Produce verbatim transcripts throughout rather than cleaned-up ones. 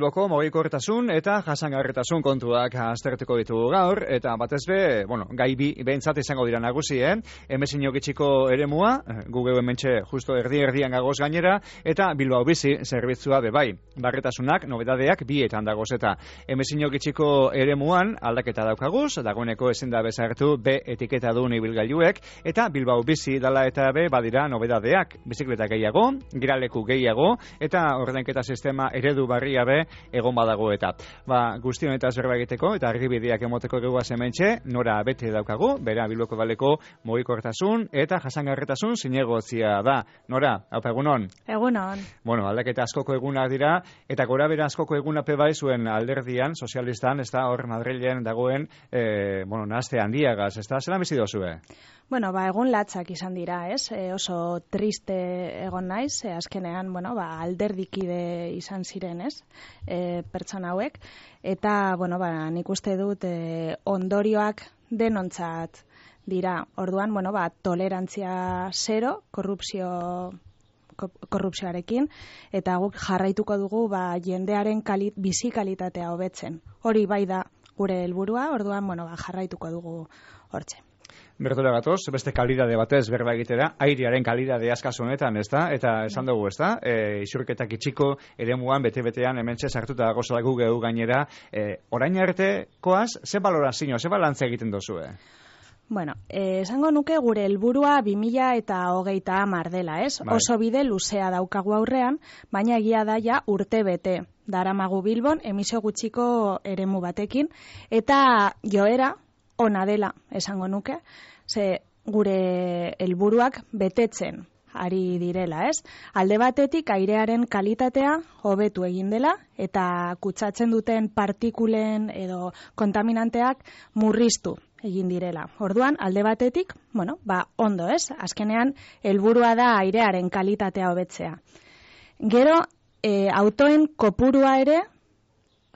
Bilboko mugikortasun eta jasangarritasun kontuak aztertuko ditugu gaur, eta batez be, bueno, gai bi behintzat izango dira nagusi, eh? Emezin gitxiko eremua, gu geu hementxe justo erdi-erdian gagoz gainera, eta Bilbao Bizi zerbitzua bebai. Barretasunak, nobedadeak bietan dagoz, eta emezin gitxiko eremuan aldaketa daukaguz, dagoeneko ezin da bezartu B etiketa duen ibilgailuek, eta Bilbao Bizi dala eta be badira nobedadeak, bizikleta gehiago, giraleku gehiago, eta ordainketa sistema eredu barria be egon badago eta. Ba, guztion eta zerba egiteko eta argibideak emoteko geguaz hementxe, nora bete daukagu, bera Bilboko baleko mugikortasun eta jasangarritasun zinegotzia da. Nora, haupa egunon? Egunon. Bueno, aldaketa askoko egunak dira, eta gora bera askoko egunape bai zuen alderdian, sozialistan, ez da hor Madrilen dagoen, eh, bueno, nahazte handiagaz, ez da, zelan bizi dozue? Bueno, ba, egun latzak izan dira, ez? E, oso triste egon naiz, e, azkenean, bueno, ba, alderdikide izan ziren, ez? E, pertsona hauek, eta, bueno, ba, nik uste dut e, ondorioak denontzat dira. Orduan, bueno, ba, tolerantzia zero, korrupzio korrupzioarekin, eta guk jarraituko dugu ba, jendearen kalit, bizi kalitatea hobetzen. Hori bai da gure helburua, orduan, bueno, ba, jarraituko dugu hortxe. Bertora gatoz, beste kalidade batez berba egitera, airearen kalidade askaz honetan, ez da? Eta esan dugu, ez da? E, isurketak itxiko eremuan bete-betean hementxe sartuta gozala gu gehu gainera. E, orain artekoaz, ze balorazio, ze balantze egiten dozue? Bueno, eh, esango nuke gure helburua bi mila hogeita hamar dela, ez? Bai. Oso bide luzea daukagu aurrean, baina egia da ja urte bete. Daramagu Bilbon emisio gutxiko eremu batekin, eta joera ona dela, esango nuke, ze gure helburuak betetzen ari direla, ez? Alde batetik airearen kalitatea hobetu egin dela, eta kutsatzen duten partikulen edo kontaminanteak murriztu egin direla. Orduan, alde batetik, bueno, ba, ondo, ez? Azkenean, helburua da airearen kalitatea hobetzea. Gero, e, autoen kopurua ere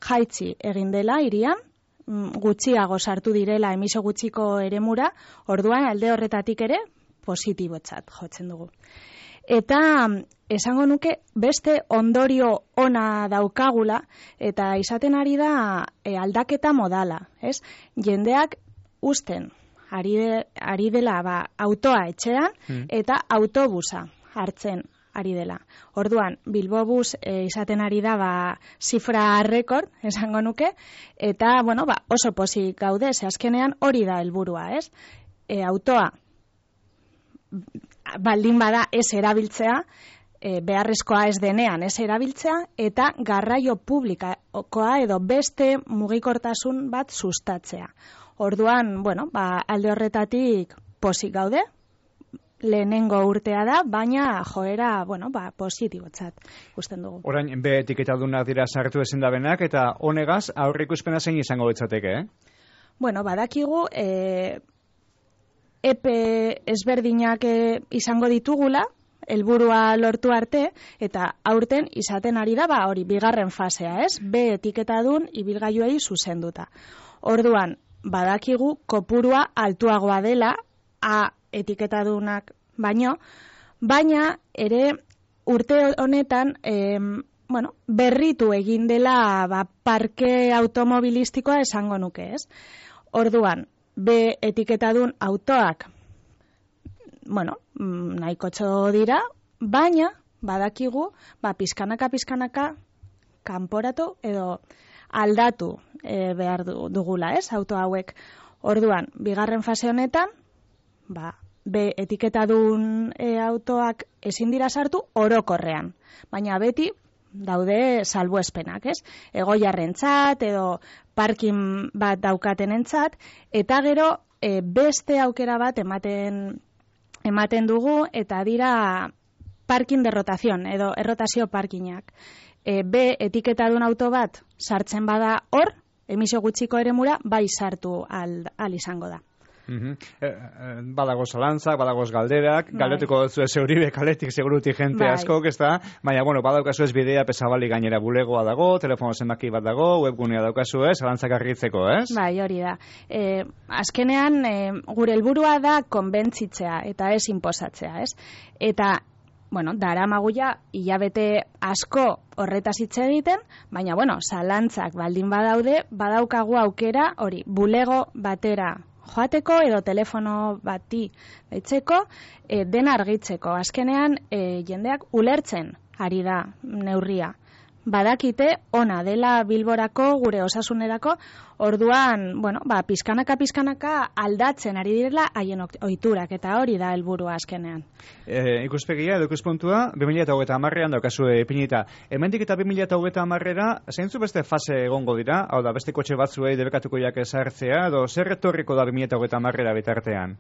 jaitsi egin dela hirian, gutxiago sartu direla emisio gutxiko eremura, orduan alde horretatik ere positibotzat jotzen dugu. Eta esango nuke beste ondorio ona daukagula, eta izaten ari da e, aldaketa modala, ez? Jendeak usten ari, de, ari dela ba, autoa etxean mm. eta autobusa hartzen ari dela. Orduan, Bilbobus e, izaten ari da ba, zifra rekord, esango nuke, eta bueno, ba, oso pozik gaude, ze azkenean hori da helburua, ez? E, autoa baldin bada ez erabiltzea, e, beharrezkoa ez denean ez erabiltzea, eta garraio publikoa edo beste mugikortasun bat sustatzea. Orduan, bueno, ba, alde horretatik pozik gaude, lehenengo urtea da, baina joera, bueno, ba, positibotzat ikusten dugu. Orain, be etiketadunak dira sartu ezin dabenak, eta honegaz aurrikuspena zein izango betzateke, eh? Bueno, badakigu, e, epe ezberdinak e, izango ditugula, helburua lortu arte, eta aurten izaten ari da, ba, hori, bigarren fasea, ez? Be etiketadun ibilgailuei zuzenduta. Orduan, badakigu kopurua altuagoa dela, A etiketadunak baino, baina ere urte honetan eh, bueno, berritu egin dela ba, parke automobilistikoa esango nuke, ez? Orduan, B etiketadun autoak bueno, nahikotxo dira, baina badakigu ba, pizkanaka pizkanaka kanporatu edo aldatu e, behar dugula, ez? Auto hauek. Orduan, bigarren fase honetan ba, be etiketadun e, autoak ezin dira sartu orokorrean, baina beti daude salbuespenak, ez? Egoiarrentzat edo parkin bat daukatenentzat, eta gero e, beste aukera bat ematen ematen dugu, eta dira parkin de rotación edo errotazio parkinak. E, be etiketadun auto bat sartzen bada hor, emisio gutxiko eremura bai sartu al, al izango da. Uh-huh. eh, eh, badagoz zalantzak, badagoz galderak, bai. Galdetuko dutzu ez euribe kaletik seguruti jente bai. Askok, ez da, baina, bueno, badaukazu ez bidea pesabali gainera bulegoa dago, telefono zenbaki bat dago, webgunea daukazu ez, zalantzak argitzeko, ez? Bai, hori da. E, azkenean, e, gure helburua da konbentzitzea eta ez inposatzea, ez? Eta bueno, daramaguia hilabete asko horretaz hitz egiten, baina, bueno, zalantzak baldin badaude, badaukagu aukera, hori, bulego batera joateko edo telefono bati deitzeko, e, dena argitzeko. Azkenean, e, jendeak ulertzen ari da neurria. Badakite ona dela Bilborako, gure osasunerako, orduan, bueno, ba, pizkanaka pizkanaka aldatzen ari direla haien ohiturak, eta hori da helburua azkenean. E, ikuspegia edo ikuspuntua, bi mila hogeita hamarrean daukazu ipinita. Hemendik eta bi mila hogeita hamarrera, zeintzu beste fase egongo dira, hau da, beste kotxe batzuei debekatuko jak ezartzea, edo zer etorriko da bi mila hogeita hamarrera bitartean?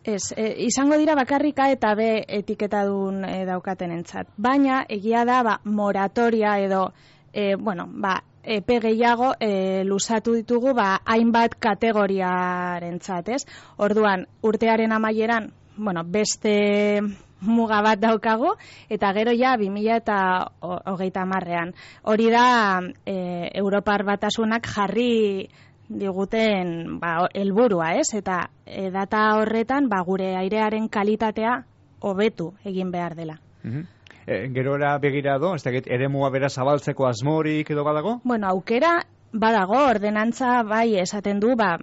Ez, e, izango dira bakarrika eta B etiketadun e, daukaten entzat. Baina, egia da, ba, moratoria edo, e, bueno, ba, epe gehiago e, luzatu ditugu, ba, hainbat kategoriarentzat, ez? Orduan, urtearen amaieran, bueno, beste muga bat daukagu, eta gero ja, bi mila hogeita hamarrean. Hori da, e, Europar Batasunak jarri diguten ba, helburua, ez? Eta e, data horretan ba, gure airearen kalitatea hobetu egin behar dela. Mm-hmm. e, gerora begirado, ez dakit, eremua bera zabaltzeko asmorik edo badago? Bueno, aukera badago, ordenantza bai esaten du, ba,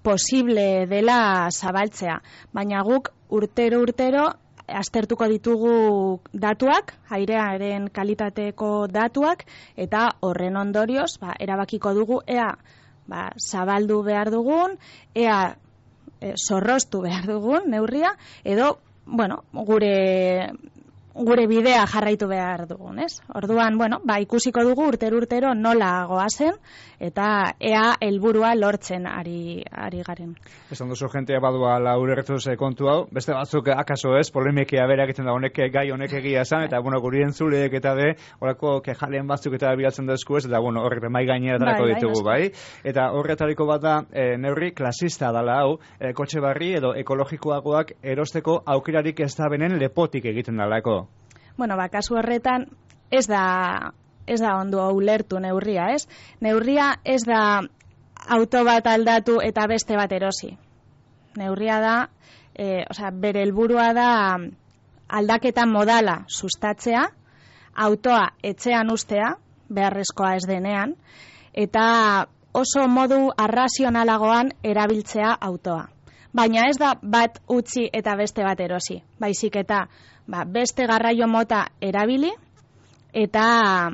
posible dela zabaltzea, baina guk urtero urtero aztertuko ditugu datuak, airearen kalitateko datuak, eta horren ondorioz, ba, erabakiko dugu, ea ba, zabaldu behar dugun, ea e, zorroztu behar dugun neurria, edo, bueno, gure gure bidea jarraitu behar dugun, ez? Orduan, bueno, ba, ikusiko dugu urtero urtero nola goazen, eta ea helburua lortzen ari, ari garen. Esan duzu jentea badua laurertuz kontu hau, beste batzuk akaso ez, polemikea bera egiten da honek gai honek egia esan, eta bueno, guri entzuleek eta be, horako kejalen batzuk eta bilatzen dezku ez, eta bueno, horrek mai gainera darako bai, ditugu, bai? Eta horretariko bat da, e, neurri klasista dala hau, e, kotxe barri edo ekologikoagoak erosteko aukerarik ez da benen lepotik egiten dalako. Bueno, ba, kasu horretan ez da, ez da ondo ulertu neurria, ez? Neurria ez da auto bat aldatu eta beste bat erosi. Neurria da, e, osea, bere helburua da aldaketa modala sustatzea, autoa etxean ustea, beharrezkoa ez denean, eta oso modu arrazionalagoan erabiltzea autoa. Baina ez da bat utzi eta beste bat erosi, baizik eta ba, beste garraio mota erabili eta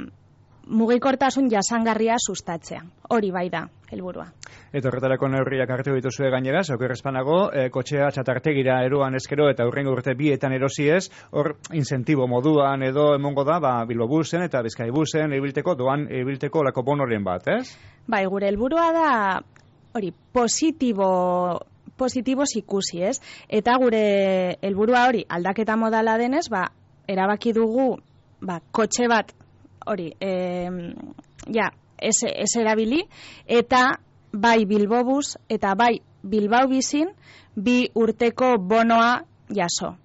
mugikortasun jasangarria sustatzea. Hori bai da helburua. Eta horretarako neurriak hartu dituzue gainera, okerrezpanago, e, kotxea txatartegira eroan eskero eta hurrengo urte bietan erosi ez, hor incentibo moduan edo emongo da, ba, Bilbobusen eta Bizkaibusen ibilteko, doan ibilteko lako bonoren bat, ez? Bai, gure helburua da, hori, positibo positiboz ikusi, ez? Eta gure helburua hori aldaketa modala denez, ba, erabaki dugu ba, kotxe bat hori, e, ja, ez, ez erabili, eta bai Bilbobus eta bai Bilbao bizin bi urteko bonoa jaso.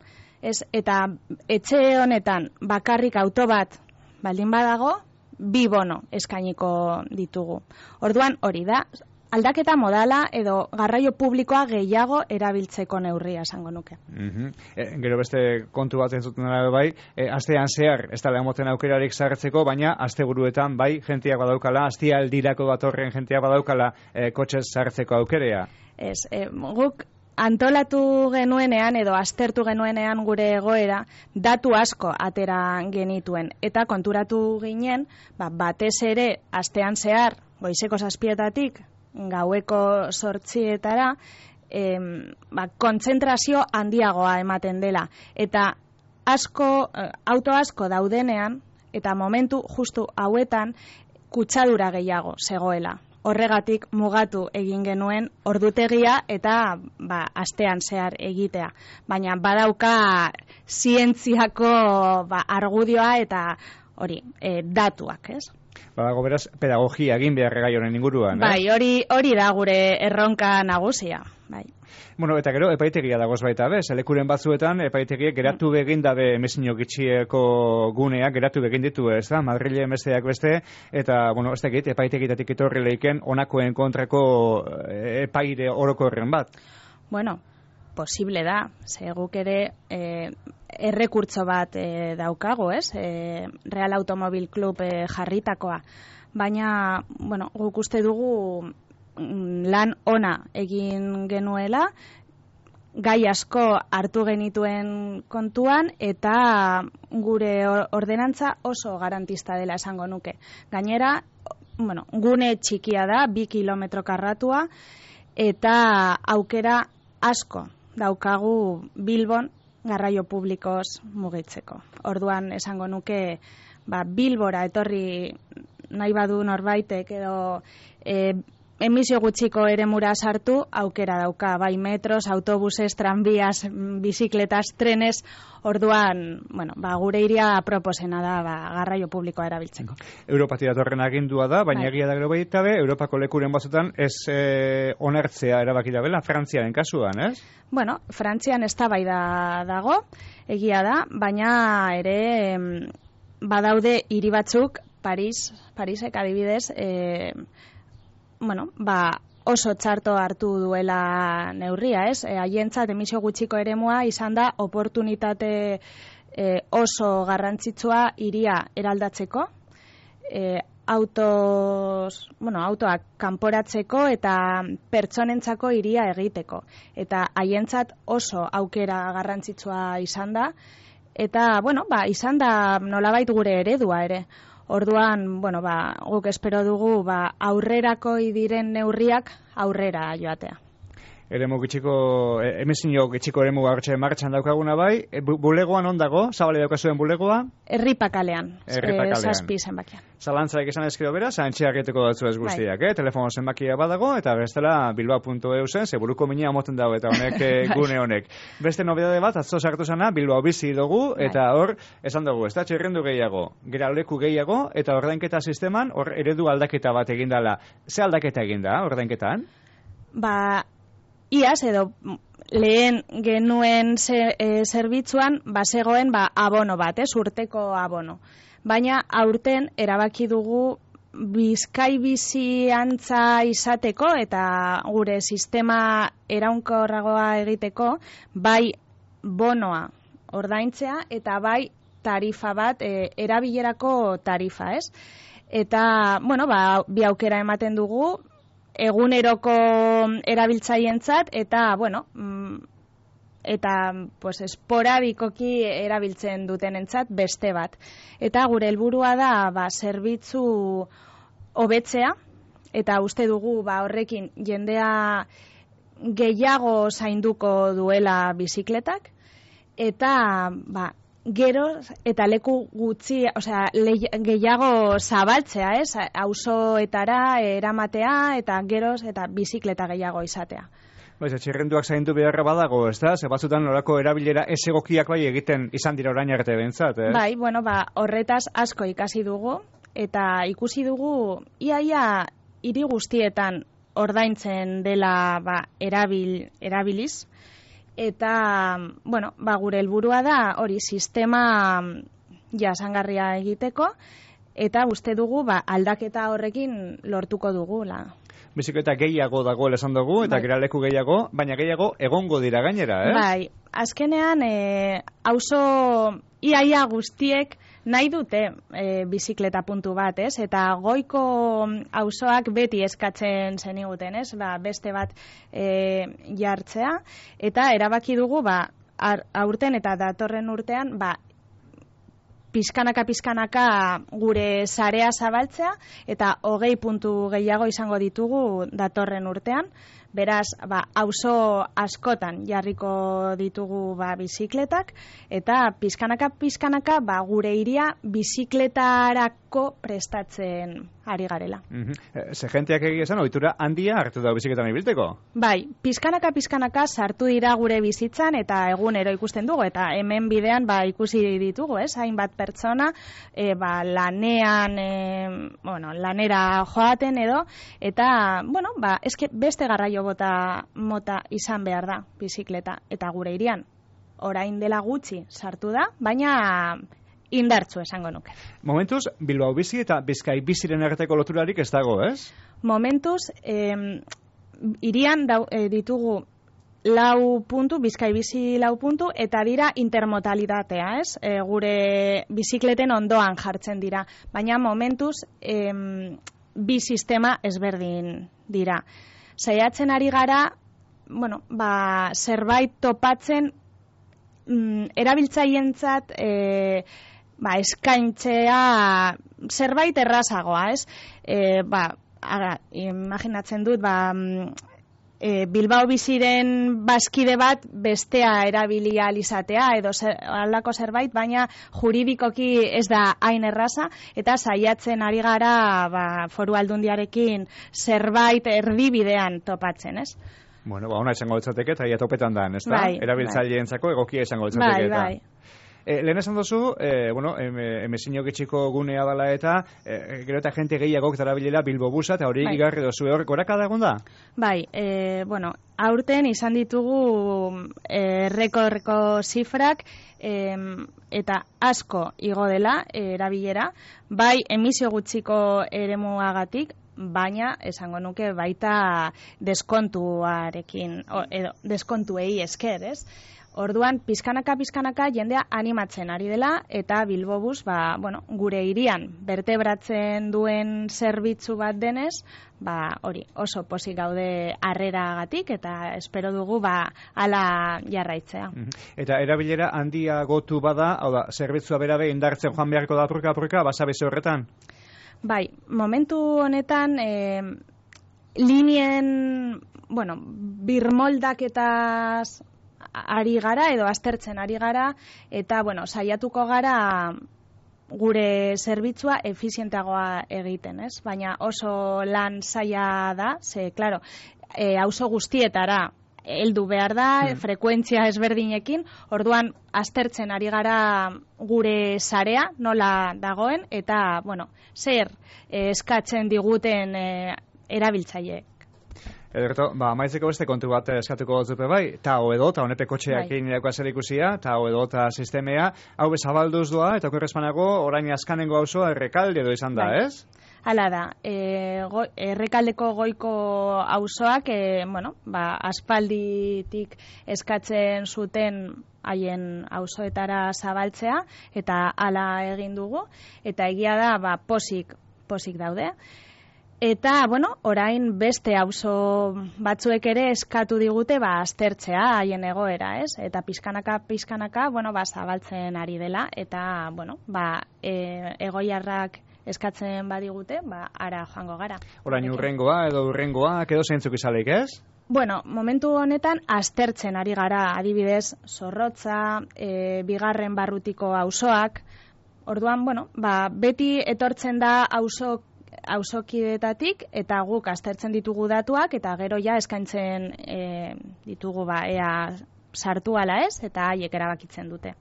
Ez, eta etxe honetan bakarrik auto bat baldin badago, bi bono eskainiko ditugu. Orduan hori da, aldaketa modala edo garraio publikoa gehiago erabiltzeko neurria esango nuke. Mm-hmm. e, gero beste kontu bat entzuten dara bai, e, astean zehar ez dela emoten aukerarik sartzeko, baina asteburuetan bai jenteak badaukala, astialdirako datorren jenteak badaukala e, kotxez sartzeko aukerea. Ez, e, guk antolatu genuenean edo aztertu genuenean gure egoera datu asko atera genituen eta konturatu ginen, ba, batez ere astean zehar goizeko zazpietatik gaueko zortzietara em, ba, kontzentrazio handiagoa ematen dela. Eta asko, auto asko daudenean, eta momentu justu hauetan kutsadura gehiago zegoela. Horregatik mugatu egin genuen ordutegia eta ba, astean zehar egitea. Baina badauka zientziako ba, argudioa eta hori, e, datuak, ez? Badago beraz, pedagogia egin behar gai honen inguruan, bai, eh? hori, hori da gure erronka nagusia, bai. Bueno, eta gero, epaitegia dagoz baita, bez? Lekuren batzuetan, epaitegiek geratu begin dabe emezino gitxieko guneak, geratu begin ditu, ez da? Madrile besteak beste, eta, bueno, ez dakit, epaitegitatik etorri leiken, onakoen kontrako epaire orokorren bat. Bueno, posible da, ze guk ere e, errekurtso bat e, daukago, ez? E, Real Automobil Club e, jarritakoa. Baina, bueno, guk uste dugu lan ona egin genuela, gai asko hartu genituen kontuan eta gure ordenantza oso garantista dela esango nuke. Gainera, bueno, gune txikia da, bi kilometro karratua, eta aukera asko daukagu Bilbon garraio publikoz mugitzeko. Orduan esango nuke, ba, Bilbora etorri nahi badu norbaitek edo e, emisio gutxiko eremura sartu, aukera dauka, bai metros, autobuses, tranbias, bizikletas, trenes, orduan, bueno, ba, gure iria proposena da ba, garraio publikoa erabiltzeko. Europatik datorren agindua da, baina egia da gero baita be, Europako lekuren batzutan ez e, onartzea erabaki da bela, Frantziaren kasuan, ez? Bueno, Frantzian eztabaida dago, egia da, baina ere badaude hiri batzuk, Paris, Parisek adibidez, e, bueno, ba, oso txarto hartu duela neurria, ez? E, haientzat emisio gutxiko eremua izan da oportunitate e, oso garrantzitsua hiria eraldatzeko, e, autos, bueno, autoak kanporatzeko eta pertsonentzako hiria egiteko. Eta haientzat oso aukera garrantzitsua izan da, eta, bueno, ba, izan da nolabait gure eredua ere. Orduan, bueno, ba, guk espero dugu ba, aurrerako diren neurriak aurrera joatea. Eremu gitxiko, emezinio gitxiko eremu hartxe martxan daukaguna bai, e, bu, bulegoan ondago, zabale daukazuen bulegoa? Erripakalean, Erripakalean. zazpi zenbakian. Zalantzaik esan ezkero bera, zantxeak eteko datzu ez guztiak, bai. eh? Telefono zenbakia badago, eta bestela bilbao puntu eu zen, ze buruko minea moten dago, eta honek gune honek. Beste nobedade bat, atzo sartu zana, Bilbao bizi dugu, eta hor, esan dugu, ez da, txerrendu gehiago, geraleku gehiago, eta ordainketa sisteman, hor eredu aldaketa bat egindala. Ze aldaketa eginda, ordainketan? Ba, iaz edo lehen genuen ze, e, zerbitzuan bazegoen ba, abono bat, ez, urteko abono. Baina aurten erabaki dugu Bizkai bizi antza izateko eta gure sistema eraunkorragoa egiteko bai bonoa ordaintzea eta bai tarifa bat, e, erabilerako tarifa, ez? Eta, bueno, ba, bi aukera ematen dugu, eguneroko erabiltzaientzat eta, bueno, eta pues, esporadikoki erabiltzen dutenentzat beste bat. Eta gure helburua da ba, zerbitzu hobetzea, eta uste dugu ba, horrekin jendea gehiago zainduko duela bizikletak, eta ba, gero eta leku gutxi, osea, le, gehiago zabaltzea, ez? Auzoetara eramatea eta geroz eta bizikleta gehiago izatea. Baiz, txirrenduak zaindu beharra badago, ez da? Ze batzutan norako erabilera ez egokiak bai egiten izan dira orain arte bentzat, ez? Bai, bueno, ba, horretaz asko ikasi dugu, eta ikusi dugu iaia hiri guztietan ordaintzen dela ba, erabil, erabiliz, eta, bueno, ba, gure helburua da hori sistema jasangarria egiteko, eta uste dugu ba, aldaketa horrekin lortuko dugula. Bizikleta gehiago dago esan dugu, eta bai. Geraleku gehiago, baina gehiago egongo dira gainera, ez? Bai, azkenean, e, auzo iaia guztiek nahi dute e, bizikleta puntu bat, ez? Eta goiko auzoak beti eskatzen zeniguten, ez? Ba, beste bat e, jartzea, eta erabaki dugu, ba, ar, aurten eta datorren urtean, ba, pizkanaka-pizkanaka gure sarea zabaltzea, eta hogei puntu gehiago izango ditugu datorren urtean. Beraz, ba, auzo askotan jarriko ditugu ba, bizikletak, eta pizkanaka-pizkanaka ba, gure hiria bizikletarako prestatzen ari garela. Mm-hmm. Ze jenteak egia esan, ohitura handia hartu da bizikletan ibilteko? Bai, pizkanaka-pizkanaka sartu dira gure bizitzan, eta egunero ikusten dugu, eta hemen bidean ba, ikusi ditugu, ez? Hainbat pertsona, e, ba, lanean, e, bueno, lanera joaten edo, eta, bueno, ba, eske beste garraio bota mota izan behar da bizikleta, eta gure hirian orain dela gutxi sartu da, baina indartzu esango nuke. Momentuz, Bilbao bizi eta Bizkai biziren arteko loturarik ez dago, ez? Momentuz, eh, hirian dau, eh, ditugu lau puntu, Bizkai bizi lau puntu, eta dira intermodalitatea, ez? E, gure bizikleten ondoan jartzen dira, baina momentuz em, bi sistema ezberdin dira. Saiatzen ari gara, bueno, ba, zerbait topatzen mm, erabiltzaientzat e, ba, eskaintzea zerbait errazagoa, ez? E, ba, ara, imaginatzen dut, ba, e, Bilbao biziren bazkide bat bestea erabili ahal izatea edo zer, alako zerbait, baina juridikoki ez da hain erraza, eta saiatzen ari gara ba, Foru Aldundiarekin zerbait erdibidean topatzen, ez? Bueno, ba, ona izango litzateke, eta ia topetan da, ez da? Bai, erabiltzaileentzako egokia izango litzateke. Bai, bai. E, lehen esan duzu, e, bueno, emezino getxiko gunea dela eta e, gero eta jente gehiagok darabilela Bilbo busa, eta hori bai. Igarri dozu, hor gorakada egon da? Bai, e, bueno, aurten izan ditugu e, rekorreko zifrak, e, eta asko igo dela e, erabilera, bai emisio gutxiko eremuagatik, baina esango nuke baita deskontuarekin, o, edo deskontuei esker, ez? Orduan, pizkanaka, pizkanaka, jendea animatzen ari dela, eta Bilbobus, ba, bueno, gure hirian bertebratzen duen zerbitzu bat denez, ba, hori, oso pozik gaude harreragatik, eta espero dugu, ba, ala jarraitzea. Eta erabilera handia gotu bada, hau da, zerbitzua berabe indartzen joan beharko da apurka, apurka, basabize horretan? Bai, momentu honetan, e, linien, bueno, birmoldaketaz ari gara edo aztertzen ari gara, eta bueno, saiatuko gara gure zerbitzua efizienteagoa egiten, ez? Baina oso lan zaila da, ze, claro, e, auzo guztietara heldu behar da, mm. frekuentzia ezberdinekin, orduan aztertzen ari gara gure sarea nola dagoen, eta, bueno, zer e, eskatzen diguten e, erabiltzaileek. Ederto, ba, maitzeko beste kontu bat eskatuko zupe bai, ta edo, ta honepe kotxeak egin bai. Zer ikusia, ta edo, ta sistemea, hau bezabalduz doa, eta okerrezpanago, orain askanengo auzoa Errekalde edo izan da, bai. Ez? Hala da, e, go, Errekaldeko goiko auzoak, e, bueno, ba, aspalditik eskatzen zuten haien auzoetara zabaltzea, eta hala egin dugu, eta egia da, ba, posik, posik daude. Eta, bueno, orain beste auzo batzuek ere eskatu digute ba aztertzea haien egoera, ez? Eta pizkanaka pizkanaka, bueno, ba zabaltzen ari dela eta, bueno, ba e, egoiarrak eskatzen badigute, ba ara joango gara. Orain urrengoa edo urrengoa edo zeintzuk izaleik, ez? Bueno, momentu honetan aztertzen ari gara, adibidez, Zorrotza, e, bigarren barrutiko auzoak. Orduan, bueno, ba beti etortzen da auzo auzokidetatik eta guk aztertzen ditugu datuak eta gero ja eskaintzen e, ditugu ba ea sartu ala ez eta haiek erabakitzen dute.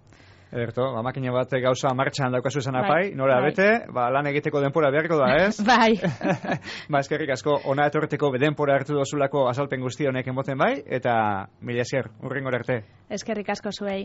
Ederto, ba makina bat gauza martxan daukazu esan apai, nora bai. Bete, ba lan egiteko denpora beharko da, ez? Bai. Ba eskerrik asko ona etorteko denpora hartu dozulako azalpen guzti honek emoten bai eta mila esker, urrengora arte. Eskerrik asko zuei.